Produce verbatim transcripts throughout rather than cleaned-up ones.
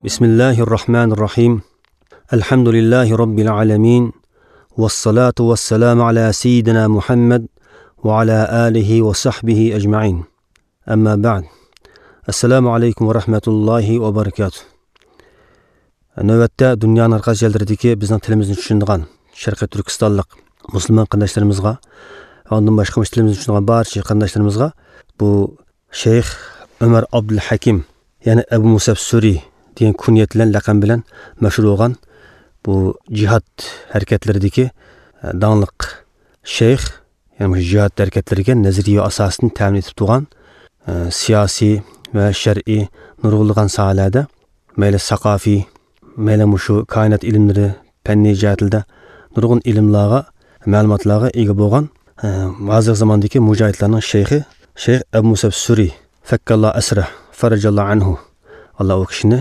بسم الله الرحمن الرحيم. الحمد لله رب العالمين. والصلاة والسلام على سيدنا محمد وعلى آله وصحبه أجمعين. أما بعد. السلام عليكم ورحمة الله وبركاته. نۆۋەتتە دۇنيانىڭ ھەر قايسى يەرلىرىدىكى بىزنىڭ تىلىمىزنى چۈشىنىدىغان شەرقىي تۈركىستانلىق مۇسۇلمان قېرىنداشلىرىمىزغا، ئاندىن باشقا مۇشۇ تىلىمىزنى چۈشىنىدىغان بارچە قېرىنداشلىرىمىزغا بۇ شەيخ ئۆمەر ئابدۇلھەكىم، يەنى ئەبۇ مۇسئەب سۈرى دېگەن كۇنيەت بىلەن، لەقەم بىلەن مەشھۇر بولغان بۇ جىھاد ھەرىكەتلىرىدىكى، ئە، داڭلىق شەيخ، يەنى مۇشۇ جىھاد ھەرىكەتلىرىگە نەزەرىيە ئاساسىنى تەمىن ئېتىپ تۇرغان، ئە، سىياسىي ۋە شەرئىي نۇرغۇنلىغان ساھەلەردە، مەيلى ساقافىي، مەيلى مۇشۇ كائىنات ئىلىملىرى، پەننىي جەھەتلەردە نۇرغۇن ئىلىملارغا، مەلۇماتلارغا ئىگە بولغان، ئە، ھازىرقى زاماندىكى مۇجاھىدلارنىڭ شەيخى، شەيخ ئەبۇ مۇسئەب سۈرى، فەككاللا ئەسرە، فەرەجاللا ئەنھۇ. ئاللا ئۇ كىشىنى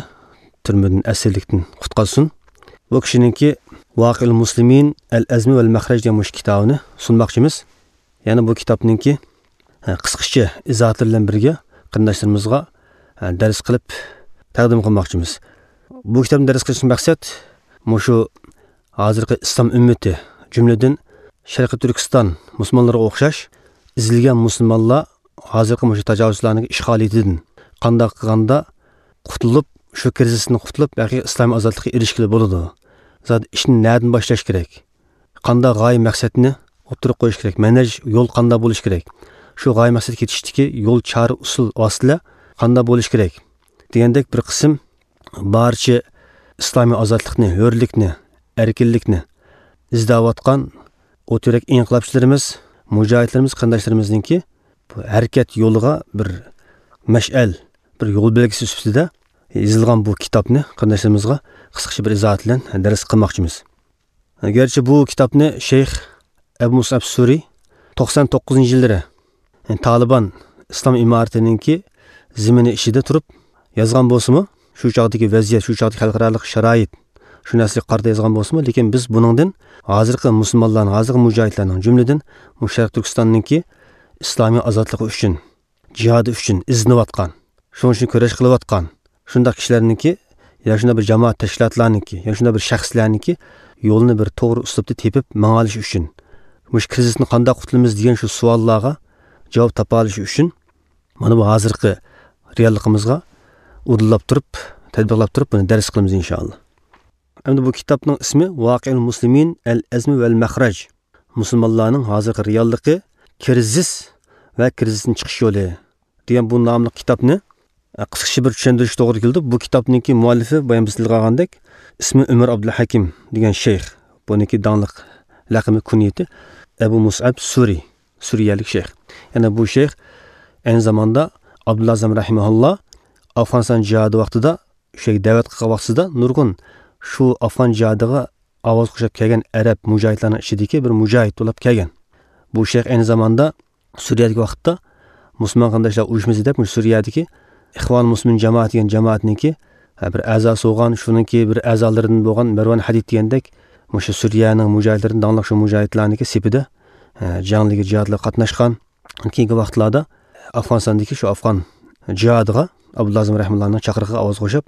تۈرمىدىن، ئەسىرلىكتىن قۇتقۇزسۇن. بۇ كىشىنىڭكى ۋاقىئۇل مۇسلىمىن، ئەل ئەزمى ۋەل مەخرەج دېگەن مۇشۇ كىتابىنى سۇنماقچىمىز. يەنە بۇ كىتابنىڭكى، ھە، قىسقىچە ئىزاھاتلىرى بىلەن بىرگە قېرىنداشلىرىمىزغا، ھە، دەرس قىلىپ تەقدىم قىلماقچىمىز. بۇ كىتابنى دەرس قىلىشتىن مەقسەت مۇشۇ ھازىرقى ئىسلام ئۈممىتى، جۈملىدىن شەرقىي تۈركىستان مۇسۇلمانلىرىغا ئوخشاش ئېزىلگەن مۇسۇلمانلار ھازىرقى مۇشۇ تاجاۋۇزچىلارنىڭ ئىشغالىيىتىدىن قانداق قىلغاندا قۇتۇلۇپ، شۇ كىرىزىستىن قۇتۇلۇپ، ھەقىقىي ئىسلامىي ئازادلىققا ئېرىشكىلى بولىدۇ. زادى ئىشنى نەدىن باشلاش كېرەك؟ قانداق غايە مەقسەتنى ئوتتۇرىغا قويۇش كېرەك؟ مەنھەج يول قانداق بولۇش كېرەك؟ شۇ غايە مەقسەتكە يېتىشتىكى يول، چارە، ئۇسۇل، ۋاسىتىلەر قانداق بولۇش كېرەك؟ دېگەندەك بىر قىسىم بارچە ئىسلامىي ئازادلىقنى، ھۆرلۈكنى، ئەركىنلىكنى ئىزدەۋاتقان ئوت يۈرەك ئىنقىلابچىلىرىمىز، مۇجاھىدلىرىمىز، قېرىنداشلىرىمىزنىڭكى بۇ ھەرىكەت يولىغا بىر مەشئەل، بىر يول بەلگىسى سۈپىتىدە يېزىلغان بۇ كىتابنى قېرىنداشلىرىمىزغا قىسقىچە بىر ئىزاھات بىلەن دەرس قىلماقچىمىز. گەرچە بۇ كىتابنى شەيخ ئەبۇ مۇسئەب سۈرى توقسان توققۇزىنچى يىللىرى، يەنى تالىبان ئىسلام ئىمارىتىنىڭكى زېمىنى ئىچىدە تۇرۇپ يازغان بولسىمۇ، شۇ چاغدىكى ۋەزىيەت، شۇ چاغدىكى خەلقئارالىق شارائىت، شۇ نەرسىگە قارىتا يازغان بولسىمۇ، لېكىن بىز بۇنىڭدىن ھازىرقى مۇسۇلمانلارنىڭ، ھازىرقى مۇجاھىدلارنىڭ، جۈملىدىن مۇشۇ شەرقىي تۈركىستاننىڭكى ئىسلامىي ئازادلىقى ئۈچۈن، جىھادى ئۈچۈن ئىزدىنىۋاتقان، شۇنىڭ ئۈچۈن كۈرەش قىلىۋاتقان شۇنداق كىشىلەرنىڭكى، يا شۇنداق بىر جامائەت تەشكىلاتلارنىڭكى، يا شۇنداق بىر شەخسلەرنىڭكى يولىنى بىر توغرا ئۇسلۇبتا تېپىپ ماڭالىشى ئۈچۈن، مۇشۇ كىرىزىستىن قانداق قۇتۇلىمىز دېگەن شۇ سوئاللارغا جاۋاب تاپالىشى ئۈچۈن، مانا بۇ ھازىرقى رېئاللىقىمىزغا ئۇدۇللاپ تۇرۇپ، تەتبىقلاپ تۇرۇپ، بۇنى دەرس قىلىمىز، ئىنشائاللا. ئەمدى بۇ كىتابنىڭ ئىسمى ۋاقىئۇل مۇسلىمىن، ئەل ئەزمى ۋەل مەخرەج. مۇسۇلمانلارنىڭ ھازىرقى رېئاللىقى، كىرىزىس ۋە كىرىزىستىن چىقىش يولى دېگەن بۇ ناملىق كىتابنى، ئە، قىسقىچە بىر چۈشەندۈرۈش توغرا كېلىدۇ. بۇ كىتابنىڭكى مۇئەللىپى بايام بىز تىلغا ئالغاندەك، ئىسمى ئۆمەر ئابدۇلھەكىم دېگەن شەيخ. بۇنىڭكى داڭلىق لەقىمى، كۇنيىتى ئەبۇ مۇسئەب سۈرى، سۈرىيەلىك شەيخ. يەنى بۇ شەيخ ئەينى زاماندا ئابدۇللازىم رەھىمەھۇللا ئافغانىستان جىھادى ۋاقتىدا، شۇ يەرگە دەۋەت قىلغان ۋاقتىدا نۇرغۇن شۇ ئافغان جىھادىغا ئاۋاز قوشۇپ كەلگەن ئەرەب مۇجاھىدلارنىڭ ئىچىدىكى بىر مۇجاھىد بولۇپ كەلگەن. بۇ شەيخ ئەينى زاماندا سۈرىيەدىكى ۋاقىتتا مۇسۇلمان قېرىنداشلار ئۇيۇشمىسى دەپ، مۇشۇ سۈرىيەدىكى ئىخۋان مۇسلىمىن جامائەت دېگەن جامائەتنىڭكى، ھە، بىر ئەزاسى بولغان، شۇنىڭكى بىر ئەزالىرىدىن بولغان مەرۋان ھەدىد دېگەندەك، مۇشۇ سۈرىيەنىڭ مۇجاھىدلىرىدىن داڭلىق شۇ مۇجاھىدلارنىڭكى سېپىدا، ھە، جەڭلىگە، جىھادلارغا قاتناشقان. كېيىنكى ۋاقىتلاردا ئافغانىستاندىكى شۇ ئافغان جىھادىغا ئابدۇللازىم رەھىمۇللانىڭ چاقىرىقىغا ئاۋاز قوشۇپ،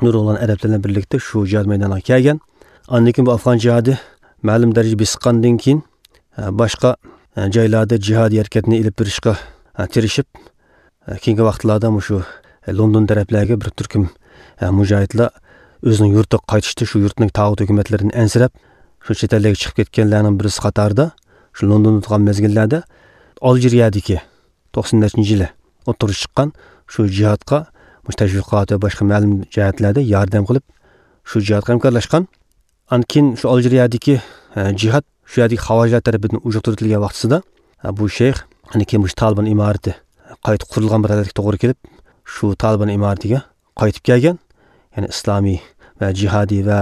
نۇرغۇنلىغان ئەرەبلەر بىلەن بىرلىكتە شۇ جىھاد مەيدانىغا كەلگەن. ئاندىن كېيىن بۇ ئافغان جىھادى مەلۇم دەرىجىگە بېسىققاندىن كېيىن، ئە، باشقا، ئە، جايلاردا جىھادىي ھەرىكەتنى ئېلىپ بېرىشقا، ئە، تىرىشىپ، ئە، كېيىنكى ۋاقىتلاردا مۇشۇ، ئە، لوندون تەرەپلەرگە بىر تۈركۈم، ئە، مۇجاھىدلار ئۆزىنىڭ يۇرتىغا قايتىشتا شۇ يۇرتنىڭ تاغۇت ھۆكۈمەتلىرىدىن ئەنسىرەپ، شۇ چەت ئەللەرگە چىقىپ كەتكەنلەرنىڭ بىرسى قاتارىدا، شۇ لوندوندا تۇرغان مەزگىللەردە ئالجىرىيەدىكى توقسان نەچچىنچى يىلى ئوتتۇرىغا چىققان شۇ جىھادقا مۇشۇ تەشۋىقات ۋە باشقا مەلۇم جەھەتلەردە ياردەم قىلىپ، شۇ جىھادقا ھەمكارلاشقان. ئاندىن كېيىن شۇ ئالجىرىيەدىكى، ئە، جىھاد شۇ يەردىكى خاۋارىجلار تەرىپىدىن ئۇجۇقتۇرۇۋېتىلگەن ۋاقتىسىدا، ئە، بۇ شەيخ، ئاندىن كېيىن مۇشۇ تالىبان ئىمارىتى قايتا قۇرۇلغان بىر ھالەتكە توغرا كېلىپ، شۇ تالىبان ئىمارىتىگە قايتىپ كەلگەن. يەنى ئىسلامىي ۋە جىھادىي ۋە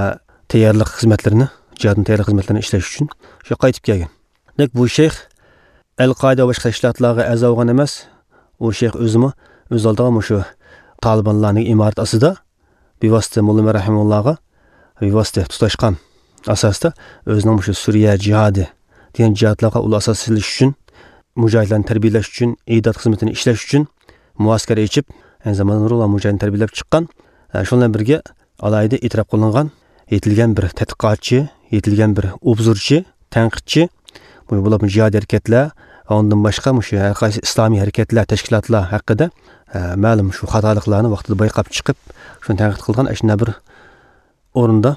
تەييارلىق خىزمەتلىرىنى، جىھادنىڭ تەييارلىق خىزمەتلىرىنى ئىشلەش ئۈچۈن شۇ قايتىپ كەلگەن. دېمەك، بۇ شەيخ ئەل قائىدە ۋە باشقا تەشكىلاتلارغا ئەزا بولغان ئەمەس. ئۇ شەيخ ئۆزىمۇ ئۆز ئالدىغا مۇشۇ تالىبانلارنىڭ ئىمارىتى ئاستىدا بىۋاسىتە موللا ئۆمەر رەھىمۇللاغا بىۋاسىتە تۇتاشقان ئاساستا ئۆزىنىڭ مۇشۇ سۈرىيە جىھادى دېگەن جىھادلارغا ئۇل ئاساس سېلىش ئۈچۈن، مۇجاھىدلارنى تەربىيەلەش ئۈچۈن، ئىداد خىزمىتىنى ئىشلەش ئۈچۈن مۇئەسكەر ئېچىپ، ئەينى زاماندا نۇرغۇنلىغان مۇجاھىدنى تەربىيەلەپ چىققان. شۇنىڭ بىلەن بىرگە، ئالاھىدە ئېتىراپ قىلىنغان، يېتىلگەن بىر تەتقىقاتچى، يېتىلگەن بىر ئوبزورچى، تەنقىدچى، بۇ بولۇپمۇ جىھادىي ھەرىكەتلەر، ئاندىن باشقا مۇشۇ ھەر قايسى ئىسلامىي ھەرىكەتلەر، تەشكىلاتلار ھەققىدە، ئە، مەلۇم شۇ خاتالىقلارنى ۋاقتىدا بايقاپ چىقىپ، شۇنى تەنقىد قىلغان ئاشۇنداق بىر ئورۇندا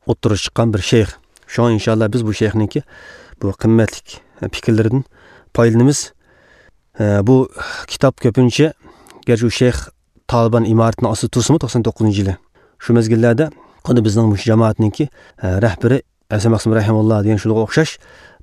ئوتتۇرىغا چىققان بىر شەيخ. شۇڭا ئىنشاللا بىز بۇ شەيخنىڭكى بۇ قىممەتلىك پىكىرلىرىدىن پايدىلىنىمىز. ئە، بۇ كىتاب كۆپىنچە، گەرچە ئۇ شەيخ تالىبان ئىمارىتىنىڭ ئاستىدا تۇرسىمۇ، توقسان توققۇزىنچى يىلى، شۇ مەزگىللەردە خۇددى بىزنىڭ مۇشۇ جامائەتنىڭكى، ئە، رەھبىرى ھەسەن مەخسۇم رەھىمۇللا دېگەن شۇلارغا ئوخشاش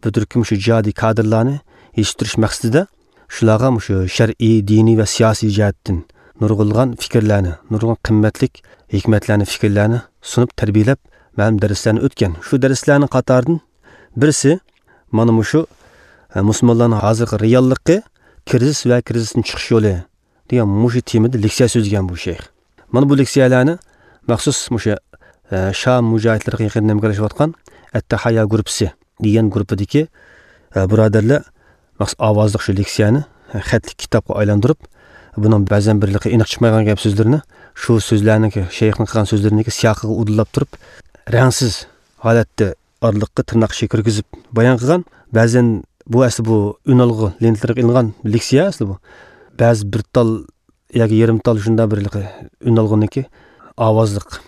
بىر تۈركۈم شۇ جىھادىي كادىرلارنى يېتىشتۈرۈش مەقسىتىدە شۇلارغا مۇشۇ شەرئىي، دىنىي ۋە سىياسىي جەھەتتىن نۇرغۇنلىغان پىكىرلەرنى، نۇرغۇن قىممەتلىك ھېكمەتلەرنى، پىكىرلەرنى سۇنۇپ تەربىيەلەپ، مەلۇم دەرسلەرنى ئۆتكەن. شۇ دەرسلەرنىڭ قاتارىدىن بىرسى مانا مۇشۇ، ئە، مۇسۇلمانلارنىڭ ھازىرقى رېئاللىقى، كىرىزىس ۋە كىرىزىستىن چىقىش يولى دېگەن مۇشۇ تېمىدا لېكسىيە سۆزلىگەن بۇ شەيخ. مانا بۇ لېكسىيەلەرنى مەخسۇس مۇشۇ، ئە، شام مۇجاھىدلىرىغا يېقىندىن ھەمكارلىشىۋاتقان ئەتتەھايا گۇرۇپپىسى دېگەن گۇرۇپپىدىكى، ئە، بۇرادەرلەر مەخسۇس ئاۋازلىق شۇ لېكسىيەنى، ئە، خەتلىك كىتابقا ئايلاندۇرۇپ، بۇنىڭ بەزەن بىرلىكى ئېنىق چىقمايدىغان گەپ سۆزلىرىنى شۇ سۆزلەرنىڭكى، شەيخنىڭ قىلغان سۆزلىرىنىڭكى سىياقىغا ئۇدۇللاپ تۇرۇپ، رەڭسىز ھالەتتە ئارىلىققا تىرناق ئىچىگە كىرگۈزۈپ بايان قىلغان. بەزەن بۇ ئەسلى بۇ ئۈنئالغۇ لېنتىلىرىغا ئېلىنغان لېكسىيە ئەسلى بۇ. بەزى بىر تال ياكى يېرىم تال شۇنداق بىر ئۈنئالغۇنىڭكى ئاۋازلىق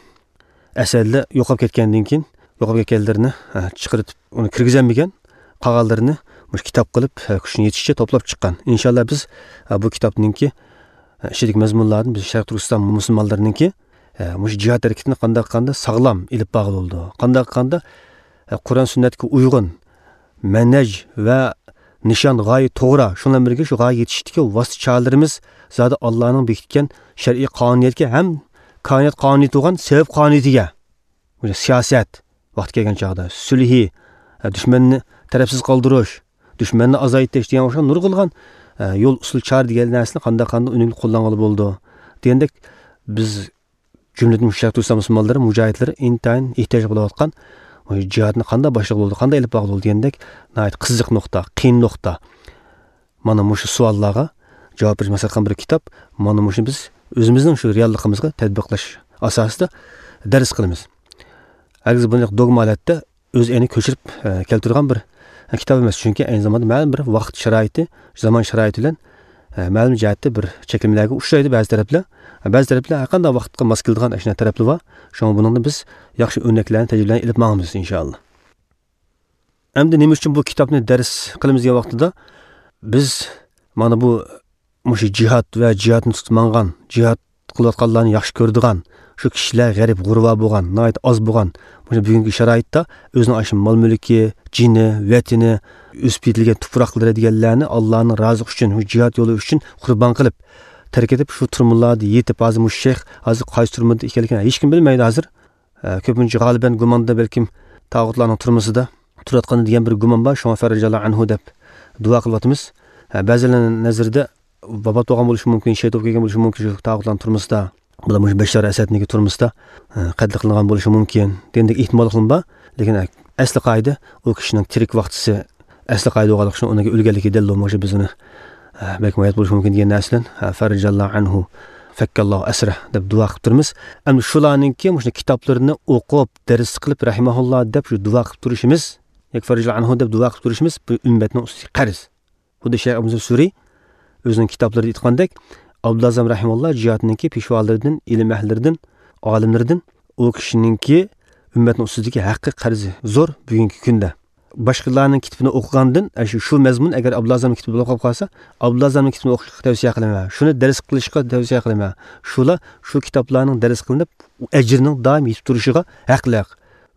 ئەسەرلەر يوقاپ كەتكەندىن كېيىن، يوقاپ كەتكەنلىرىنى، ھە، چىقىرىپ، ئۇنى كىرگۈزەلمىگەن، قالغانلىرىنى مۇشۇ كىتاب قىلىپ، ھە، كۈچىنى يېتىشىچە توپلاپ چىققان. ئىنشاللا بىز، ھە، بۇ كىتابنىڭكى، ھە، ئىچىدىكى مەزمۇنلاردىن بىز شەرقىي تۈركىستان مۇسۇلمانلىرىنىڭكى، ھە، مۇشۇ جىھاد ھەرىكىتىنى قانداق قىلغاندا ساغلام ئېلىپ بارغىلى بولىدۇ، قانداق قىلغاندا، ھە، قۇرئان سۈننەتكە ئۇيغۇن، مەنھەج ۋە نىشان، غايە توغرا، شۇنىڭ بىلەن بىرگە شۇ غايىگە يېتىشتىكى ۋاسىتە چارىلىرىمىز زادى ئاللانىڭ بېكىتكەن شەرئىي قانۇنىيەتكە ھەم كائىنات قانۇنىيىتى بولغان سەۋەب قانۇنىيىتىگە، سىياسەت، ۋاقتى كەلگەن چاغدا سۈلھى، دۈشمەننى تەرەپسىز قالدۇرۇش، دۈشمەننى ئازايتىش دېگەن ئوخشىغان نۇرغۇنلىغان يول، ئۇسۇل، چارە دېگەن نەرسىنى قانداق قانداق ئۈنۈملۈك قوللانغىلى بولىدۇ دېگەندەك، بىز جۈملىدىن شەرقىي تۈركىستان مۇسۇلمانلىرى، مۇجاھىدلىرى ئىنتايىن ئېھتىياج بولۇۋاتقان، مۇشۇ جىھادنى قانداق باشلىغىلى بولىدۇ، قانداق ئېلىپ بارغىلى بولىدۇ دېگەندەك ناھايىتى قىزىق نۇقتا، قىيىن نۇقتا. مانا مۇشۇ سوئاللارغا جاۋاب بېرىش مەقسەت قىلغان بىر كىتاب. مانا مۇشۇنى بىز ئۆزىمىزنىڭ شۇ رېئاللىقىمىزغا تەتبىقلاش ئاساسىدا دەرس قىلىمىز. ھەرگىز بۇنى دوگما ھالەتتە ئۆز ئەينى كۆچۈرۈپ، ئە، كەلتۈرگەن بىر، ئە، كىتاب ئەمەس. چۈنكى ئەينى زاماندا مەلۇم بىر ۋاقىت شارائىتى، زامان شارائىتى بىلەن، ئە، مەلۇم جەھەتتە بىر چەكلىمىلەرگە ئۇچرايدۇ بەزى تەرەپلەر. بەزى تەرەپلەر ھەر قانداق ۋاقىتقا ماس كېلىدىغان ئاشۇنداق تەرەپلەر بار. شۇڭا بۇنىڭدا بىز ياخشى ئۆرنەكلەرنى تەجرىبىلەرنى ئېلىپ ماڭىمىز، ئىنشائاللا. ئەمدى نېمە ئۈچۈن بۇ كىتابنى دەرس قىلىمىز دېگەن ۋاقتىدا، بىز مانا بۇ مۇشۇ جىھاد ۋە جىھادنى تۇتۇپ ماڭغان، جىھاد قىلىۋاتقانلارنى ياخشى كۆرىدىغان، شۇ كىشىلەر غەرىب غۇرۋا بولغان، ناھايىتى ئاز بولغان، مۇشۇ بۈگۈنكى شارائىتتا ئۆزىنىڭ ئاشۇ مال مۈلكى، جېنى، ۋەتىنى، ئۆسۈپ يېتىلگەن تۇپراقلىرى دېگەنلەرنى ئاللانىڭ رازىلىقى ئۈچۈن، شۇ جىھاد يولى ئۈچۈن قۇربان قىلىپ، تەرك ئېتىپ، شۇ تۈرمىلەردە يېتىپ، ھازىر مۇشۇ شەيخ ھازىر قايسى تۈرمىدە ئىكەنلىكىنى ھېچكىم بىلمەيدۇ ھازىر. ئە، كۆپىنچە غالىبەن گۇماندا بەلكىم تاغۇتلارنىڭ تۈرمىسىدە تۇرۇۋاتقان دېگەن بىر گۇمان بار، شۇڭا فەررەجاللا ئەنھۇ دەپ دۇئا قىلىۋاتىمىز. ئە، بەزىلەرنىڭ نەزىرىدە ۋاپات بولغان بولۇشى مۇمكىن، شېھىت بولۇپ كەلگەن بولۇشى مۇمكىن، شۇ تاغۇتلارنىڭ تۈرمىسىدە. بۇلار مۇشۇ بەششار ئەسەدنىڭكى تۈرمىسىدە، ئە، قەتل قىلىنغان بولۇشى مۇمكىن دېگەندەك ئېھتىماللىقلىرىمۇ بار. لېكىن، ئە، ئەسلى قائىدە ئۇ كىشىنىڭ تىرىك ۋاقتىسى ئەسلى قائىدە بولغانلىقى ئۈچۈن ئۇنىڭكى ئۆلگەنلىكى دەلىل بولمىغۇچە بىز ئۇنى، ئە، بەلكىم ھايات بولۇشى مۇمكىن دېگەن نەرسىلەن، ئە، فەررەجاللا ئەنھۇ، فەككەللاھۇ ئەسرە دەپ دۇئا قىلىپ تۇرىمىز. ئەمدى شۇلارنىڭكى مۇشۇ كىتابلىرىنى ئوقۇپ، دەرس قىلىپ، رەھىمەھۇللا دەپ شۇ دۇئا قىلىپ تۇرۇشىمىز، ياكى فەررەجاللا ئەنھۇ دەپ دۇئا قىلىپ تۇرۇشىمىز بۇ ئۈممەتنىڭ ئۈستىدىكى قەرز. خۇددى شەيخ ئەبۇ مەنسۇر سۈرى ئۆزىنىڭ كىتابلىرىدا ئېيتقاندەك، ئابدۇلئەزەم رەھىمەھۇللا جىھادنىڭكى پېشۋالىرىدىن، ئىلىم ئەھلىلىرىدىن، ئالىملىرىدىن، ئۇ كىشىنىڭكى ئۈممەتنىڭ ئۈستىدىكى ھەققى قەرزى زور بۈگۈنكى كۈندە. باشقىلارنىڭ كىتابىنى ئوقۇغاندىن، ئە، شۇ، شۇ مەزمۇن ئەگەر ئابدۇلئەزەمنىڭ كىتابىدا بولۇپ قالسا، ئابدۇلئەزەمنىڭ كىتابىنى ئوقۇشقا تەۋسىيە قىلىمەن، شۇنى دەرس قىلىشقا تەۋسىيە قىلىمەن. شۇلار شۇ كىتابلارنىڭ دەرس قىلىنىپ، ئەجرىنىڭ دائىم يېتىپ تۇرۇشىغا ھەقلىق.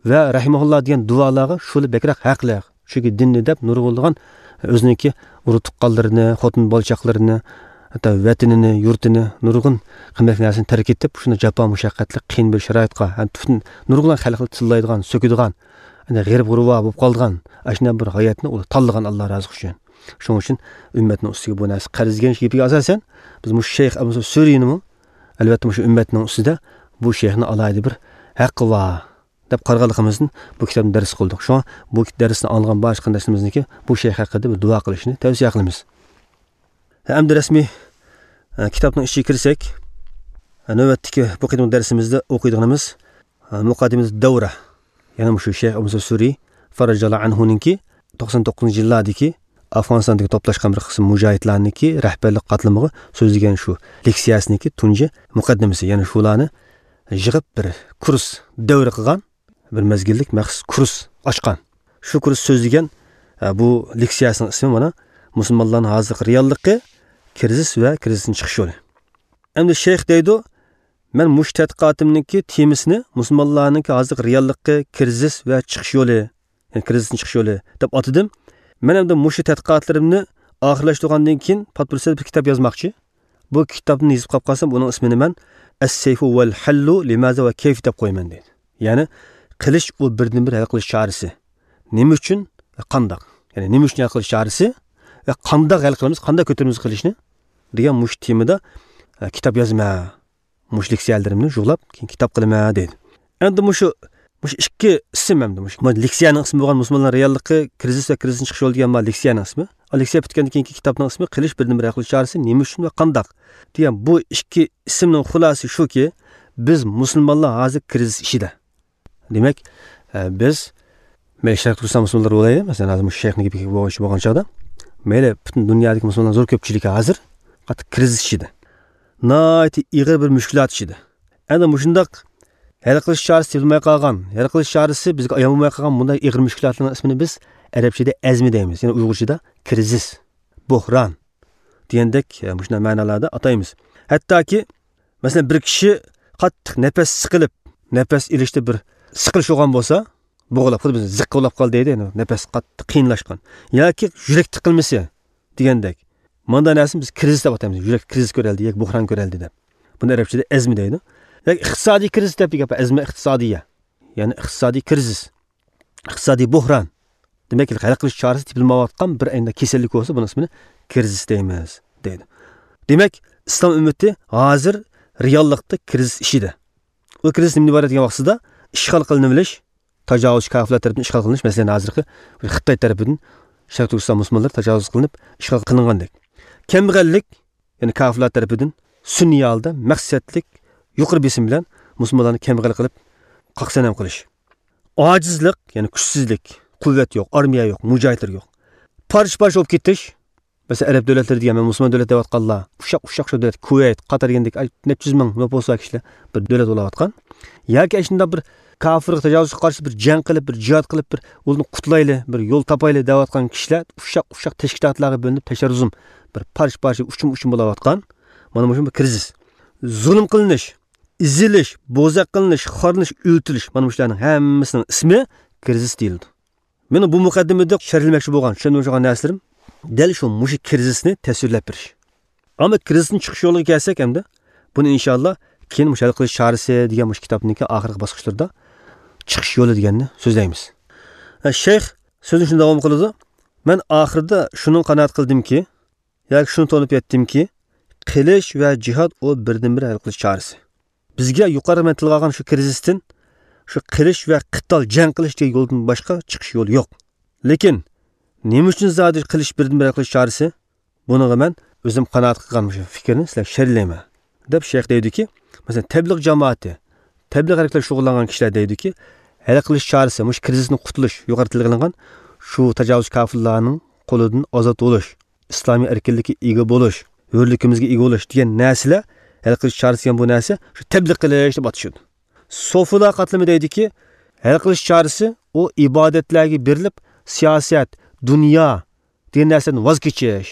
ۋە رەھىمەھۇللا دېگەن دۇئالارغا شۇلار بەكرەك ھەقلىق. چۈنكى دىننى دەپ نۇرغۇنلىغان ئۆزىنىڭكى ئۇرۇق تۇغقانلىرىنى، خوتۇن بالا چاقىلىرىنى، ھەتتا ۋەتىنىنى، يۇرتىنى، نۇرغۇن قىممەتلىك نەرسىنى تەرك ئېتىپ، شۇنداق جاپا مۇشەققەتلىك قىيىن بىر شارائىتقا، ھەم پۈتۈن نۇرغۇنلىغان خەلقنى تىللايدىغان، سۆكىدىغان، يەنى غېرىب غۇرۋا بولۇپ قالىدىغان، ئاشۇنداق بىر ھاياتنى ئۇلار تاللىغان، ئاللا رازى قىلسۇن. شۇنىڭ ئۈچۈن ئۈممەتنىڭ ئۈستىگە بۇ نەرسە قەرز دېگەن گېپىگە ئاساسەن، بىز مۇشۇ شەيخ ئەبۇ سۈرىنىمۇ، ئەلۋەتتە، مۇشۇ ئۈممەتنىڭ ئۈستىدە بۇ شەيخنىڭ ئالاھىدە بىر ھەققى بار دەپ قارىغانلىقىمىزدىن بۇ كىتابنى دەرس قىلدۇق. شۇڭا بۇ دەرسنى ئاڭلىغان بارچە قېرىنداشلىرىمىزنىڭكى بۇ شەيخ ھەققىدە بىر دۇئا قىلىشىنى تەۋسىيە قىلىمىز. ئەمدى رەسمىي، ئە، كىتابنىڭ ئىچىگە كىرسەك، ئە، نۆۋەتتىكى بۇ قېتىمقى دەرسىمىزدە ئوقۇيدىغىنىمىز مۇقەددىمىتۇ دەۋرە، يەنى مۇشۇ شەيخ ئەبۇ مۇسا سۈرى فەرەجەللا ئەنھۇنىڭكى توقسان توققۇزىنچى يىللاردىكى ئافغانىستاندىكى توپلاشقان بىر قىسىم مۇجاھىدلارنىڭكى رەھبەرلىك قاتلىمىغا سۆزلىگەن شۇ لېكسىيەسىنىڭكى تۇنجى مۇقەددىمىسى، يەنى شۇلارنى يىغىپ بىر كۇرس دەۋرە قىلغان، بىر مەزگىللىك مەخسۇس كۇرس ئاچقان. شۇ كۇرس سۆزلىگەن، ئە، بۇ لېكسىيەسىنىڭ ئىسمى مانا مۇسۇلمانلارنىڭ ھازىرقى رېئاللىقى، كىرىزىس ۋە كىرىزىستىن چىقىش يولى. ئەمدى شەيخ دەيدۇ، مەن مۇشۇ تەتقىقاتىمنىڭكى تېمىسىنى مۇسۇلمانلارنىڭكى ھازىرقى رېئاللىقى، كىرىزىس ۋە چىقىش يولى، يەنى كىرىزىستىن چىقىش يولى دەپ ئاتىدىم. مەن ئەمدى مۇشۇ تەتقىقاتلىرىمنى ئاخىرلاشتۇرغاندىن كېيىن پات پۇرسەتتە بىر كىتاب يازماقچى. بۇ كىتابنى يېزىپ قاپ قالسام، ئۇنىڭ ئىسمىنى مەن ئەس-سەيفۇ ۋەل ھەللۇ لىمازا ۋە كەيف دەپ قويىمەن دەيدۇ. يەنى قىلىچ ئۇ بىردىنبىر ھەل قىلىش چارىسى. نېمە ئۈچۈن ۋە قانداق؟ يەنى نېمە ئۈچۈن ھەل قىلىش چارىسى ۋە قانداق ھەل قىلىمىز، قانداق كۆتۈرىمىز قىلىچنى دېگەن مۇشۇ تېمىدا، ئە، كىتاب يازىمەن. مۇشۇ لېكسىيەلىرىمنى يۇغلاپ، كېيىن كىتاب قىلىمەن دەيدۇ. ئەمدى مۇشۇ، مۇشۇ ئىككى ئىسىم ئەمدى مۇشۇ. مانا لېكسىيەنىڭ ئىسمى بولغان مۇسۇلمانلار رېئاللىقى، كىرىزىس ۋە كىرىزىستىن چىقىش يولى دېگەن مانا لېكسىيەنىڭ ئىسمى. ئا، لېكسىيە پۈتكەندىن كېيىنكى كىتابنىڭ ئىسمى قىلىچ بىردىنبىر ھەل قىلىش چارىسى نېمە ئۈچۈن ۋە قانداق دېگەن بۇ ئىككى ئىسىمنىڭ خۇلاسىسى شۇكى، بىز مۇسۇلمانلار ھازىر كىرىزىس ئىچىدە. دېمەك، ئە، بىز، مەيلى شەرقىي تۈركىستان مۇسۇلمانلىرى بولايلى، مەسىلەن، ھازىر مۇشۇ شەيخنىڭ گېپى بويىچە بولغان چاغدا، مەيلى پۈتۈن دۇنيادىكى مۇسۇلمانلار زور كۆپچىلىكى ھازىر قاتتىق كىرىزىس ئىچىدە. ناھايىتى ئېغىر بىر مۈشكۈلات ئىچىدە. ئەنە مۇشۇنداق ھەل قىلىش چارىسى تېپىلماي قالغان، ھەل قىلىش چارىسى بىزگە ئايان بولماي قالغان بۇنداق ئېغىر مۈشكۈلاتلارنىڭ ئىسمىنى بىز ئەرەبچىدە ئەزمە دەيمىز، يەنى ئۇيغۇرچىدا كىرىزىس، بوھران دېگەندەك، ئە، مۇشۇنداق مەنىلەردە ئاتايمىز. ھەتتاكى مەسىلەن، بىر كىشى قاتتىق نەپەس سىقىلىپ، نەپەس ئېلىشتا بىر سىقىلىش بولغان بولسا، بوغۇلۇپ، خۇددى بىز زىققا بولاپ قالدى دەيدۇ، يەنى نەپەس قاتتىق قىيىنلاشقان. ياكى يۈرەك تىقىلمىسى دېگەندەك. مانداق نەرسىنى بىز كىرىزىس دەپ ئاتايمىز. يۈرەك كىرىزىس كۆرەلدى ياكى بوھران كۆرەلدى دەپ. بۇنى ئەرەبچىدە ئەزمە دەيدۇ. ياكى ئىقتىسادىي كىرىزىس دەپ گەپ، ئەزمە ئىقتىسادىيە. يەنى ئىقتىسادىي كىرىزىس. ئىقتىسادىي بوھران. دېمەك، ھەل قىلىش چارىسى تېپىلمايۋاتقان بىر ئەينىدە كېسەللىك بولسا، بۇنىڭ ئىسمىنى كىرىزىس دەيمىز، دەيدۇ. دېمەك، ئىسلام ئۈممىتى ھازىر رېئاللىقتا كىرىزىس ئىچىدە. ئۇ كىرىزىس نېمىدىن ئىبارەت دېگەن ۋاقتىدا، ئىشغال قىلىنىۋېلىش، تاجاۋۇزچى كاپىرلار تەرىپىدىن ئىشغال قىلىنىش، مەسىلەن، ھازىرقى خىتاي تەرىپىدىن شەرقىي تۈركىستان مۇسۇلمانلىرى تاجاۋۇز قىلىنىپ، ئىشغال قىلىنغاندەك. كەمبەغەللىك، يەنى كاپىرلار تەرىپىدىن سۈنئىي ھالدا مەقسەتلىك يۇقىرى بېسىم بىلەن مۇسۇلمانلارنى كەمبەغەل قىلىپ، قاقسەنەم قىلىش. ئاجىزلىق، يەنى كۈچسىزلىك، قۇۋۋەت يوق، ئارمىيە يوق، مۇجاھىدلار يوق. پارچە-پارچە بولۇپ كېتىش. مەسىلەن، ئەرەب دۆلەتلىرى دېگەن، مەن مۇسۇلمان دۆلەت دەۋاتقانلار، ئۇششاق، ئۇششاق شۇ دۆلەت، كۇۋەيت، قاتار دېگەندەك، ئاي، نەچچە يۈز مىڭ نوپۇسى بار كىشىلەر بىر دۆلەت بولاۋاتقان. ياكى ئاشۇنداق بىر كاپىرغا، تاجاۋۇزغا قارشى بىر جەڭ قىلىپ، بىر جىھاد قىلىپ، بىر ئۇلارنى قۇتۇلايلى، بىر يول تاپايلى دەۋاتقان كىشىلەر ئۇششاق، ئۇششاق تەشكىلاتلارغا بۆلۈنۈپ، تەشەررۇزۇم، بىر پارچە-پارچە، ئۇچۇم-ئۇچۇم بولاۋاتقان. مانا مۇشۇ بىر كىرىزىس. زۇلۇم قىلىنىش، ئېزىلىش، بوزەك قىلىنىش، خارلىنىش، ئۆلتۈرۈلۈش، مانا مۇشۇلارنىڭ ھەممىسىنىڭ ئىسمى كىرىزىس دېيىلىدۇ. مېنىڭ بۇ مۇقەددىمىدە شەرھلىمەكچى بولغان، چۈشەندۈرمەكچى بولغان نەرسىلىرىم دەل شۇ مۇشۇ كىرىزىسنى تەسۋىرلەپ بېرىش. ئەمما كىرىزىستىن چىقىش يولىغا كەلسەك ئەمدى، بۇنى ئىنشاللا كېيىن مۇشۇ ھەل قىلىش چارىسى دېگەن مۇشۇ كىتابنىڭكى ئاخىرقى باسقۇچلىرىدا چىقىش يولى دېگەننى سۆزلەيمىز. ھە، شەيخ سۆزىنى شۇنداق داۋام قىلىدۇ، مەن ئاخىرىدا شۇنىڭغا قانائەت قىلدىمكى، ياكى شۇنى تونۇپ يەتتىمكى، قىلىچ ۋە جىھاد ئۇ بىردىنبىر ھەل قىلىش چارىسى. بىزگە يۇقىرىدا مەن تىلغا ئالغان شۇ كىرىزىستىن شۇ قىلىچ ۋە قىتال، جەڭ قىلىش دېگەن يولدىن باشقا چىقىش يولى يوق. لېكىن نېمە ئۈچۈن زادى قىلىچ بىردىنبىر ھەل قىلىش چارىسى؟ بۇنىڭغا مەن ئۆزۈم قانائەت قىلغان مۇشۇ پىكىرنى سىلەرگە شەرھلەيمەن، دەپ شەيخ دەيدۇكى، مەسىلەن، تەبلىغ جامائىتى، تەبلىغ ھەرىكىتى بىلەن شۇغۇللانغان كىشىلەر دەيدۇكى، ھەل قىلىش چارىسى، مۇشۇ كىرىزىستىن قۇتۇلۇش، يۇقىرىدا تىلغا ئېلىنغان شۇ تاجاۋۇزچى كاپىرلارنىڭ قولىدىن ئازاد بولۇش، ئىسلامىي ئەركىنلىككە ئىگە بولۇش، ھۆرلۈكىمىزگە ئىگە بولۇش دېگەن نەرسىلەر، ھەل قىلىش چارىسى دېگەن بۇ نەرسە شۇ تەبلىغ قىلىش دەپ ئاتىشىدۇ. سوفىلار قاتلىمى دەيدۇكى، ھەل قىلىش چارىسى ئۇ ئىبادەتلەرگە بېرىلىپ، سىياسەت، دۇنيا دېگەن نەرسىدىن ۋاز كېچىش،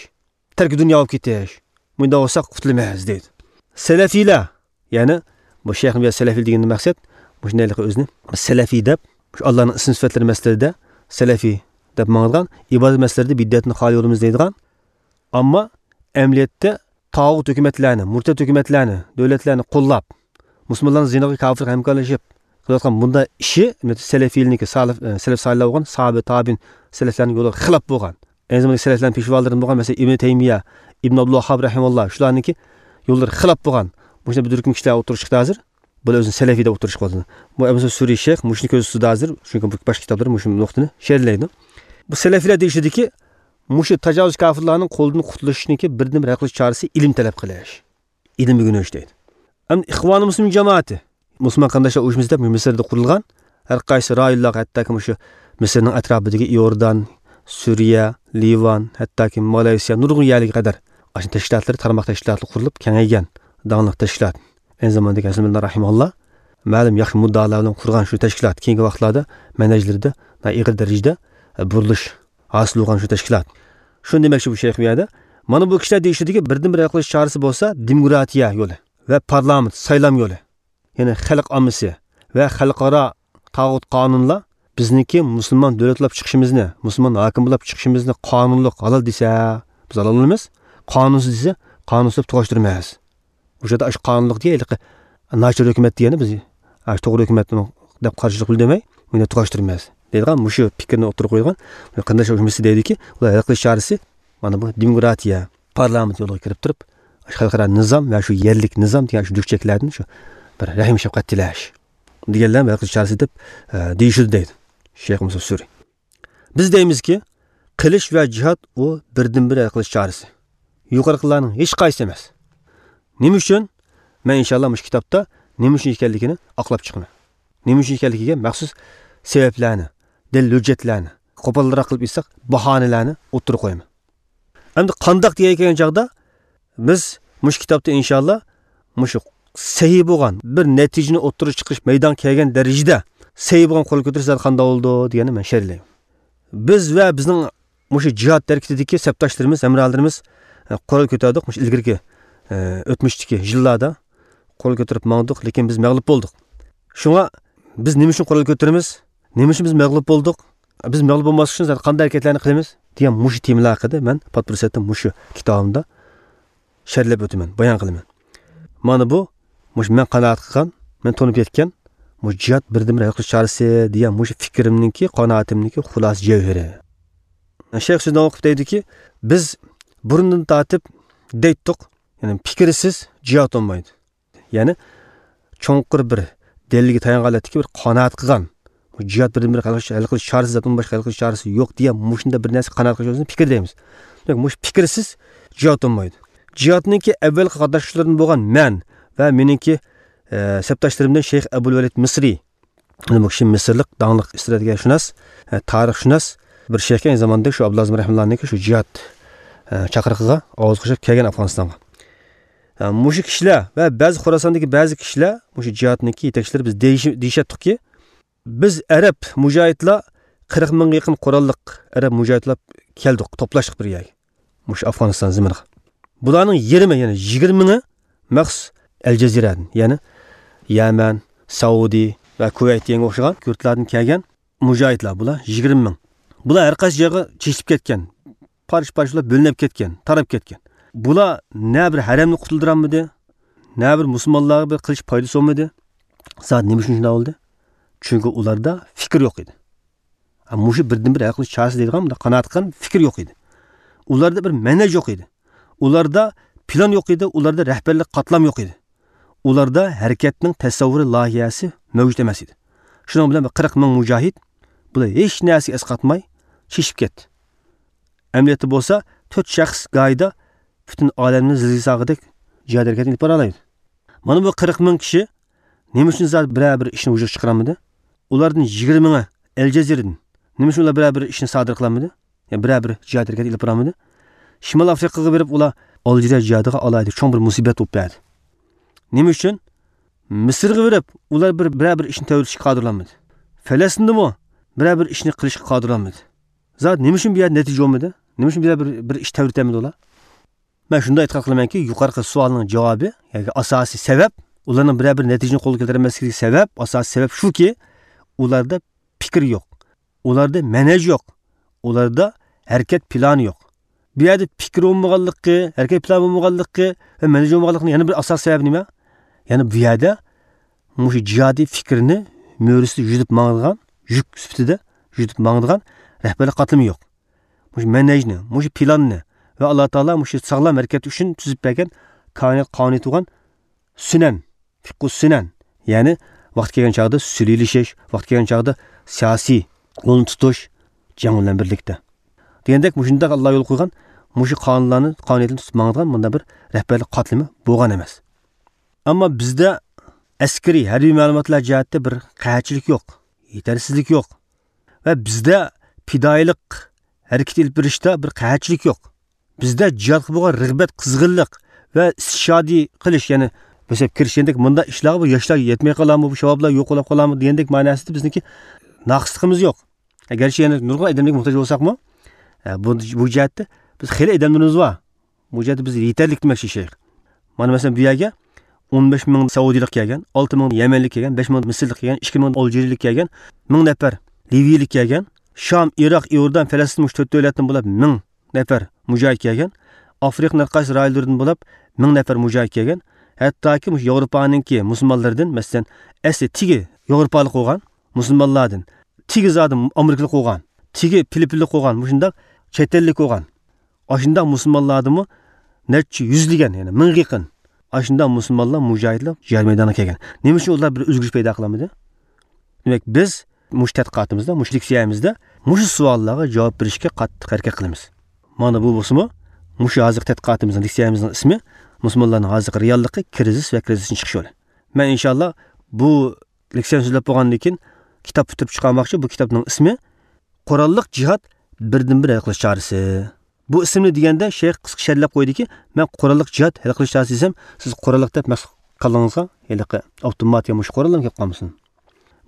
تەركى دۇنيا بولۇپ كېتىش. مۇنداق بولساق قۇتۇلىمىز دەيدۇ. سەلەفىيلەر، يەنى بۇ شەيخنى بۇ يەردە سەلەفىي دېگەندىن مەقسەت، مۇشۇنداقلىقى ئۆزىنى سەلەفىي دەپ، شۇ ئاللانىڭ ئىسىم سۈپەتلىرى مەسىلىلىرىدە سەلەفىي دەپ ماڭىدىغان، ئىبادەت مەسىلىلىرىدە بىدئەتنى خالىي يولىمىز دەيدىغان، ئەمما ئەمەلىيەتتە تاغۇت ھۆكۈمەتلەرنى، مۇرتەت ھۆكۈمەتلەرنى، دۆلەتلەرنى قوللاپ، مۇسۇلمانلارنى زىناغا، كاپىرغا ھەمكارلىشىپ قىلىۋاتقان بۇنداق ئىشى سەلەفىيلىكنىڭكى، سالىف، سەلەف سالىھلار بولغان، ساھابە، تابىئىن، سەلەفلەرنىڭ يولىغا خىلاپ بولغان. ئەينى زاماندا سەلەفلەرنىڭ پېشۋالىرىدىن بولغان، مەسىلەن، ئىبنى تەيمىيە، ئىبن ئابدۇلۋاھاب رەھىمەھۇللا، شۇلارنىڭكى يوللىرىغا خىلاپ بولغان مۇشۇنداق بىر تۈركۈم كىشىلەر ئوتتۇرىغا چىقتى ھازىر. بۇلار ئۆزىنى سەلەفىي دەپ ئوتتۇرىغا چىقىۋاتىدۇ. بۇ ئەبۇ سۈرى شەيخ مۇشۇنى كۆزدە تۇتىدۇ ھازىر، چۈنكى بۇ باشقا كىتابلىرى مۇشۇ نۇقتىنى شەرھلەيدۇ. بۇ سەلەفىيلەر دېيىشىدىكى، مۇشۇ تاجاۋۇز كاپىرلارنىڭ قولىدىن قۇتۇلۇشنىڭكى بىردىنبىر ھەل قىلىش چارىسى ئىلىم تەلەپ قىلىش. ئىلىم ئۆگىنىش دەيدۇ. ئەمدى ئىخۋانۇ مۇسلىمىن جامائىتى، مۇسۇلمان قېرىنداشلار ئۇيۇشمىسى دەپ مىسىردا قۇرۇلغان. ھەر قايسى رايونلارغا، ھەتتاكى مۇشۇ مىسىرنىڭ ئەتراپىدىكى ئىئوردان، سۈرىيە، لىۋان، ھەتتاكى مالايسىيا، نۇرغۇن يەرلەرگە قەدەر ئاشۇ تەشكىلاتلىرى، تارماق تەشكىلاتلىرى قۇرۇلۇپ كېڭەيگەن داڭلىق تەشكىلات. ئەينى زاماندىكى ھەسەن بىللە رەھىمەھۇللا مەلۇم ياخشى مۇددىئالار بىلەن قۇرغان شۇ تەشكىلات كېيىنكى ۋاقىتلاردا مەنھەجلىرىدە ئېغىر دەرىجىدە بۇرۇلۇش ھاسىل بولغان شۇ تەشكىلات. شۇنى دېمەكچى بۇ شەيخ بۇ يەردە. مانا بۇ كىشىلەر دېيىشىدىكى بىردىنبىر ھەل قىلىش چارىسى بولسا دېموكراتىيە يولى ۋە پارلامېنت سايلام يولى. يەنى خەلق ئاممىسى ۋە خەلقئارا تاغۇت قانۇنلار بىزنىڭكى مۇسۇلمان دۆلەت بولۇپ چىقىشىمىزنى، مۇسۇلمان ھاكىم بولۇپ چىقىشىمىزنى قانۇنلۇق ھالال دېسە، بىز ھالال بولىمىز. قانۇنسىز دېسە، قانۇنسىز دەپ تۇغاشتۇرىمىز. ئۇ يەردە ئاشۇ قانۇنلۇق دېگەن ھېلىقى ناچار ھۆكۈمەت دېگەننى بىز ئاشۇ توغرا ھۆكۈمەتنىڭ دەپ قارشىلىق بىلدۈرمەي، بۇنى تۇغاشتۇرىمىز دەيدىغان مۇشۇ پىكىرنى ئوتتۇرىغا قويغان قېرىنداش ئۇيۇشمىسى دەيدۇكى، ئۇلار ھەل قىلىش چارىسى مانا بۇ دېموكراتىيە، پارلامېنت يولىغا كىرىپ تۇرۇپ، خەلقئارا نىزام ۋە شۇ يەرلىك نىزام دېگەن شۇ دۈكچەكلەردىن شۇ بىر رەھىم شەپقەت تىلەش دېگەنلەر ھەل قىلىش چارىسى دەپ، ئە، دېيىشىدۇ دەيدۇ شەيخ مۇسا سۈرى. بىز دەيمىزكى، قىلىش ۋە جىھاد ئۇ بىردىنبىر ھەل قىلىش چارىسى. يۇقىرىقىلارنىڭ ھېچقايسىسى ئەمەس. نېمە ئۈچۈن؟ مەن ئىنشاللا مۇشۇ كىتابتا نېمە ئۈچۈن ئىكەنلىكىنى ئاقلاپ چىقىمەن. نېمە ئۈچۈن ئىكەنلىكىگە مەخسۇس سەۋەبلەرنى، دەلىل ھۆججەتلەرنى، قوپالراق قىلىپ ئېيتساق، باھانىلەرنى ئوتتۇرىغا قويىمەن. ئەمدى قانداق دېگەن كەلگەن چاغدا، بىز مۇشۇ كىتابتا ئىنشاللا مۇشۇ سەھىھ بولغان بىر نەتىجىنى ئوتتۇرىغا چىقىرىش مەيدانغا كەلگەن دەرىجىدە سەھىھ بولغان قول كۆتۈرۈش زادى قانداق بولىدۇ دېگەننى مەن شەرھلەيمەن. بىز ۋە بىزنىڭ مۇشۇ جىھاد ھەرىكىتىدىكى سەپداشلىرىمىز، ھەمراھلىرىمىز، ئە، قورال كۆتەردۇق. مۇشۇ ئىلگىرىكى، ئە، ئۆتمۈشتىكى يىللاردا قورال كۆتۈرۈپ ماڭدۇق، لېكىن بىز مەغلۇپ بولدۇق. شۇڭا بىز نېمە ئۈچۈن قورال كۆتۈرىمىز؟ نېمە ئۈچۈن بىز مەغلۇپ بولدۇق؟ بىز مەغلۇپ بولماسلىق ئۈچۈن زادى قانداق ھەرىكەتلەرنى قىلىمىز؟ دېگەن مۇشۇ تېمىلار ھەققىدە مەن پات پۇرسەتتە مۇشۇ كىتابىمدا شەرھلەپ ئۆتىمەن، بايان قىلىمەن. مانا بۇ، مۇشۇ مەن قانائەت قىلغان، مەن تونۇپ يەتكەن، مۇشۇ جىھاد بىردىنبىر ھەل قىلىش چارىسى دېگەن مۇشۇ پىكرىمنىڭكى، قانائىتىمنىڭكى خۇلاسە جەۋھىرى. شەيخ سۆزىنى ئوقۇپ دەيدۇكى، بىز بۇرۇندىن تارتىپ دەيتتۇق، يەنى پىكىرسىز جىھاد بولمايدۇ. يەنى چوڭقۇر بىر دەلىلگە تايانغان ھالەتتىكى بىر قانائەت قىلغان، بۇ جىھاد بىردىنبىر ھەل قىلىش، ھەل قىلىش چارىسى، زادىن باشقا ھەل قىلىش چارىسى يوق دېگەن مۇشۇنداق بىر نەرسە قانائەت قىلىش يولىسىنى پىكىر دەيمىز. دېمەك، مۇشۇ پىكىرسىز جىھاد بولمايدۇ. جىھادنىڭكى ئەۋۋەلقى قاتناشقۇچىلىرىدىن بولغان مەن ۋە مېنىڭكى، ئە، سەپداشلىرىمدىن شەيخ ئەبۇل ۋەلىد مىسرى. بۇ كىشى مىسىرلىق داڭلىق ئىستراتېگىيەشۇناس، ئە، تارىخشۇناس بىر شەيخكەن، ئەينى زاماندا شۇ ئابدۇللازىم رەھىمۇللانىڭكى شۇ جىھاد، ئە، چاقىرىقىغا ئاۋاز قوشۇپ كەلگەن ئافغانىستانغا. ئە، مۇشۇ كىشىلەر ۋە بەزى خوراساندىكى بەزى كىشىلەر، مۇشۇ جىھادنىڭكى يېتەكچىلىرى بىز دېيىش-، دېيىشەتتۇقكى، بىز ئەرەب مۇجاھىدلار قىرىق مىڭغا يېقىن قوراللىق ئەرەب مۇجاھىدلار كەلدۇق، توپلاشتۇق بىر يەرگە. مۇشۇ ئافغانىستان زېمىنىغا. بۇلارنىڭ يېرىمى، يەنى يىگىرمە مىڭى مەخسۇس ئەل جەزىرەدىن، يەنى يەمەن، سەئۇدى ۋە كۇۋەيت دېگەنگە ئوخشىغان يۇرتلاردىن كەلگەن مۇجاھىدلار بۇلار يىگىرمە مىڭ. بۇلار ھەر قايسى جايغا چېچىلىپ كەتكەن، پارچە-پارچە بولۇپ بۆلۈنۈپ كەتكەن، تاراپ كەتكەن. بۇلار نە بىر ھەرەمنى قۇتۇلدۇرالمىدى، نە بىر مۇسۇلمانلارغا بىر قىلىش پايدىسى بولمىدى. زادى نېمە ئۈچۈن شۇنداق بولدى؟ چۈنكى ئۇلاردا پىكىر يوق ئىدى. ھە، مۇشۇ بىردىنبىر ھەل قىلىش چارىسى دەيدىغان بۇنداق قانائەت قىلغان پىكىر يوق ئىدى. ئۇلاردا بىر مەنھەج يوق ئىدى. ئۇلاردا پىلان يوق ئىدى، ئۇلاردا رەھبەرلىك قاتلام يوق ئىدى. ئۇلاردا ھەرىكەتنىڭ تەسەۋۋۇرى، لايىھەسى مەۋجۇت ئەمەس ئىدى. شۇنىڭ بىلەن بىر قىرىق مىڭ مۇجاھىد بۇلار ھېچ نەرسىگە ئەسقاتماي چېچىپ كەتتى. ئەمەلىيەتتە بولسا تۆت شەخس گاھىدا پۈتۈن ئالەمنى زىلزىلە سالغۇدەك جىھاد ھەرىكەتنى ئېلىپ بارالايدۇ. مانا بۇ قىرىق مىڭ كىشى نېمە ئۈچۈن زادى بىرەر بىر ئىشنى ۋۇجۇدقا چىقىرالمىدى؟ ئۇلاردىن يىگىرمە مىڭى ئەل جەزىرىدىن نېمە ئۈچۈن ئۇلار بىرەر بىر ئىشنى سادىر قىلالمىدى؟ يا بىرەر بىر جىھاد ھەرىكەت ئېلىپ بارالمىدى؟ شىمال ئافرىقىغا بېرىپ ئۇلار ئالجىرىيە جىھادىغا ئالاھىدە چوڭ بىر مۇسىبەت بولۇپ بەردى. نېمە ئۈچۈن؟ مىسىرغا بېرىپ ئۇلار بىر، بىرەر بىر ئىشنى تەۋرىتىشكە قادىر بولالمىدى. فەلەستىندىمۇ بىرەر بىر ئىشنى قىلىشقا قادىر بولالمىدى. زادى نېمە ئۈچۈن بۇ يەردە نەتىجە بولمىدى؟ نېمە ئۈچۈن بۇ يەردە بىر، بىر ئىش تەۋرىتەلمىدى ئۇلار؟ مەن شۇنداق ئېتىقاد قىلىمەنكى، يۇقىرىقى سوئالنىڭ جاۋابى، ياكى ئاساسىي سەۋەب، ئۇلارنىڭ بىرەر بىر نەتىجىنى قولغا كەلتۈرەلمەسلىكىدىكى سەۋەب، ئاساسىي سەۋەب شۇكى، ئۇلاردا پىكىر يوق. ئۇلاردا مەنھەج يوق. ئۇلاردا ھەرىكەت پىلانى يوق. بۇ يەردە پىكىر بولمىغانلىقى، ھەرىكەت پىلانى بولمىغانلىقى ۋە مەنھەج بولمىغانلىقىنىڭ يەنە بىر ئاساسىي سەۋەبى نېمە؟ يەنى بۇ يەردە مۇشۇ جىھادىي پىكىرنى مۈرىسىدە يۈدۈپ ماڭىدىغان، يۈك سۈپىتىدە يۈدۈپ ماڭىدىغان رەھبەرلىك قاتلىمى يوق. مۇشۇ مەنھەجنى، مۇشۇ پىلاننى ۋە ئاللا تائالا مۇشۇ ساغلام ھەرىكەت ئۈچۈن تۈزۈپ بەرگەن كائىنات قانۇنىيىتى بولغان سۈنەن، فىقھۇ سۈنەن، يەنى ۋاقتى كەلگەن چاغدا سۈلھىلىشىش، ۋاقتى كەلگەن چاغدا سىياسىي يولنى تۇتۇش، جەڭ بىلەن بىرلىكتە دېگەندەك، مۇشۇنداق ئاللا يول قويغان مۇشۇ قانۇنلارنى، قانۇنىيەتلەرنى تۇتۇپ ماڭىدىغان مۇنداق بىر رەھبەرلىك قاتلىمى بولغان ئەمەس. ئەمما بىزدە ئەسكىرىي، ھەربىي مەلۇماتلار جەھەتتە بىر قەھەتچىلىك يوق، يېتەرسىزلىك يوق. ۋە بىزدە پىدائىيلىق ھەرىكىتى ئېلىپ بېرىشتا بىر قەھەتچىلىك يوق. بىزدە جىھادقا بولغان رىغبەت، قىزغىنلىق ۋە ئىستىشھادىي قىلىش، يەنى بۆسەپ كىرىش دېگەندەك مۇنداق ئىشلارغا بۇ ياشلار يەتمەي قالامدۇ، بۇ شەۋابلار يوقىلاپ قالامدۇ دېگەندەك مەناسىدا بىزنىڭكى ناقىسلىقىمىز يوق. ئەگەرچە يەنە نۇرغۇن ئادەملەرگە موھتاج بولساقمۇ، ئە، بۇ، بۇ جەھەتتە بىز خېلى ئادەملىرىمىز بار. بۇ جەھەتتە بىز يېتەرلىك دېمەكچى شەيخ. مانا مەسىلەن، بۇ يەرگە ئون بەش مىڭ سەئۇدىيلىق كەلگەن، ئالتە مىڭ يەمەنلىك كەلگەن، بەش مىڭ مىسىرلىق كەلگەن، ئىككى مىڭ ئالجىرىيىلىك كەلگەن، مىڭ نەپەر لىۋىيىلىك كەلگەن، شام، ئىراق، ئىيوردان، پەلەستىن، مۇشۇ تۆت دۆلەتتىن بولۇپ مىڭ نەپەر مۇجاھىد كەلگەن، ئافرىقىنىڭ ھەر قايسى رايونلىرىدىن بولۇپ مىڭ نەپەر مۇجاھىد كەلگەن، ھەتتاكى مۇشۇ ياۋروپانىڭكى مۇسۇلمانلىرىدىن، مەسىلەن، ئەسلى تېگى ياۋروپالىق بولغان مۇسۇلمانلاردىن، تېگى زادى ئامېرىكىلىق بولغان، تېگى فىلىپپىنلىق بولغان، مۇشۇنداق چەت ئەللىك بولغان، ئاشۇنداق مۇسۇلمانلاردىمۇ نەچچە يۈزلىگەن، يەنى مىڭغا يېقىن ئاشۇنداق مۇسۇلمانلار مۇجاھىدلار جىھاد مەيدانىغا كەلگەن. نېمە ئۈچۈن ئۇلار بىر ئۆزگىرىش پەيدا قىلالمىدى؟ دېمەك، بىز مۇشۇ تەتقىقاتىمىزدا، مۇشۇ لېكسىيەمىزدە مۇشۇ سوئاللارغا جاۋاب بېرىشكە قاتتىق ھەرىكەت قىلىمىز. مانا بۇ بولسىمۇ، مۇشۇ ھازىرقى تەتقىقاتىمىزنىڭ، لېكسىيەمىزنىڭ ئىسمى مۇسۇلمانلارنىڭ ھازىرقى رېئاللىقى، كىرىزىس ۋە كىرىزىستىن چىقىش يولى. مەن ئىنشاللا بۇ لېكسىيەنى سۆزلەپ بولغاندىن كېيىن كىتاب پۈتتۈرۈپ چىقارماقچى. بۇ كىتابنىڭ ئىسمى قوراللىق جىھاد، بىردىنبىر ھەل قىلىش چارىسى. بۇ ئىسىمنى دېگەندە شەيخ قىسقا شەرھلەپ قويدىكى، مەن قوراللىق جىھاد، ھەل قىلىش چارىسى دېسەم، سىز قوراللىق دەپ مەخسۇس كاللىڭىزغا ھېلىقى ئاپتومات يا مۇشۇ قوراللار كېلىپ قالمىسۇن.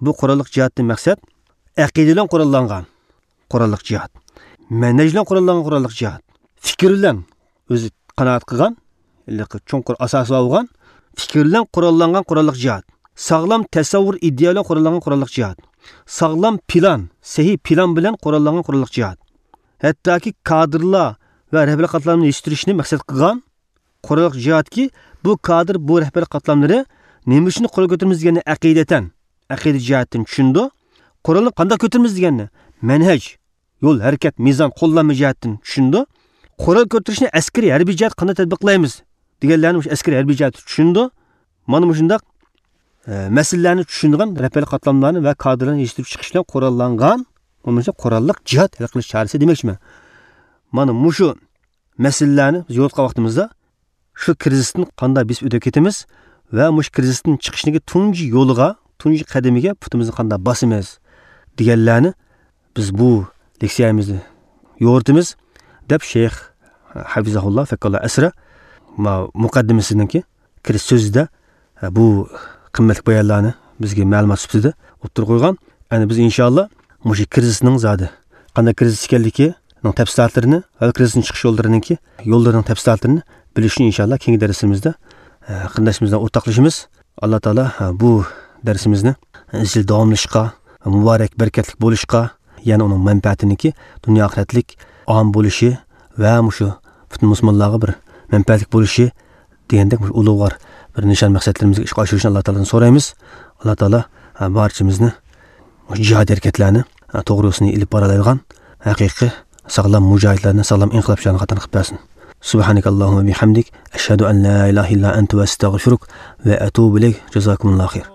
بۇ قوراللىق جىھادتىن مەقسەت ئەقىدە بىلەن قوراللانغان قوراللىق جىھاد، مەنھەج بىلەن قوراللانغان قوراللىق جىھاد، پىكىر بىلەن، ئۆزى قانائەت قىلغان، ھېلىقى چوڭقۇر ئاساسى بار بولغان پىكىر بىلەن قوراللانغان قوراللىق جىھاد، ساغلام تەسەۋۋۇر، ئىدىيە بىلەن قوراللانغان قوراللىق جىھاد، ساغلام پىلان، سەھىھ پىلان بىلەن قوراللانغان قوراللىق جىھاد، ھەتتاكى كادىرلار ۋە رەھبەرلىك قاتلامنى يېتىشتۈرۈشنى مەقسەت قىلغان قوراللىق جىھادكى، بۇ كادىر، بۇ رەھبەرلىك قاتلاملىرى نېمە ئۈچۈن قورال كۆتۈرىمىز دېگەننى ئەقىدەتەن، ئەقىدە جەھەتتىن چۈشىنىدۇ. قورالنى قانداق كۆتۈرىمىز دېگەننى، مەنھەج، يول، ھەرىكەت، مىزان، قوللانما جەھەتتىن چۈشىنىدۇ. قورال كۆتۈرۈشنى ئەسكىرىي، ھەربىي جەھەتتە قانداق تەتبىقلايمىز دېگەنلەرنى مۇشۇ ئەسكىرىي، ھەربىي جەھەتتە چۈشىنىدۇ. مانا مۇشۇنداق، ئە، مەسىلىلەرنى چۈشىنىدىغان رەھبەرلىك قاتلاملارنى ۋە كادىرلارنى يېتىشتۈرۈپ چىقىش بىلەن قوراللانغان، بولمىسا قوراللىق جىھاد ھەل قىلىش چارىسى دېمەكچىمەن. مانا مۇشۇ مەسىلىلەرنى بىز يورۇتقان ۋاقتىمىزدا، شۇ كىرىزىستىن قانداق بېسىپ ئۆتۈپ كېتىمىز ۋە مۇشۇ كىرىزىستىن چىقىشنىڭ تۇنجى يولىغا، تۇنجى قەدىمىگە پۇتىمىزنى قانداق باسىمىز دېگەنلەرنى بىز بۇ لېكسىيەمىزنى يورۇتىمىز، دەپ شەيخ ھەفىزەھۇللا فەككاللا ئەسرە ما مۇقەددىمىسىنىڭكى كىرىش سۆزىدە، ھە، بۇ قىممەتلىك بايانلارنى بىزگە مەلۇمات سۈپىتىدە ئوتتۇرىغا قويغان. ئەنە بىز ئىنشاللا مۇشۇ كىرىزىسنىڭ زادى قانداق كىرىزىس ئىكەنلىكىنىڭ تەپسىلاتلىرىنى ۋە كىرىزىستىن چىقىش يوللىرىنىڭكى، يوللىرىنىڭ تەپسىلاتلىرىنى بىلىشنى ئىنشاللا كېيىنكى دەرسلىرىمىزدە، ھە، قېرىنداشلىرىمىز بىلەن ئورتاقلىشىمىز. ئاللا تائالا، ھە، بۇ دەرسىمىزنى ئىزچىل داۋاملىشىشقا، مۇبارەك، بەرىكەتلىك بولۇشقا، يەنە ئۇنىڭ مەنپەئەتىنىڭكى دۇنيا ئاخىرەتلىك ئام بولۇشى ۋە مۇشۇ پۈتۈن مۇسۇلمانلارغا بىر مەنپەئەتلىك بولۇشى دېگەندەك مۇشۇ ئۇلۇغۋار بىر نىشان مەقسەتلىرىمىزگە ئىشقا ئاشۇرۇشنى ئاللا تائالادىن سورايمىز. ئاللا تائالا، ھە، بارچىمىزنى مۇشۇ جىھاد ھەرىكەتلەرنى، ھە، توغرا يوسۇنى ئېلىپ بارالايدىغان ھەقىقىي ساغلام مۇجاھىدلارنى، ساغلام ئىنقىلابچىلارنى قاتارىدىن قىلىپ بەرسۇن. سۇبھانەكاللاھۇممە بىھەمدىك، ئەشھەدۇ ئەن لا ئىلاھە ئىللا ئەنتە ۋە ئەستەغفىرۇك ۋە ئەتۇبۇ ئىلەيك. جازاكۇمۇللاھۇ خەير.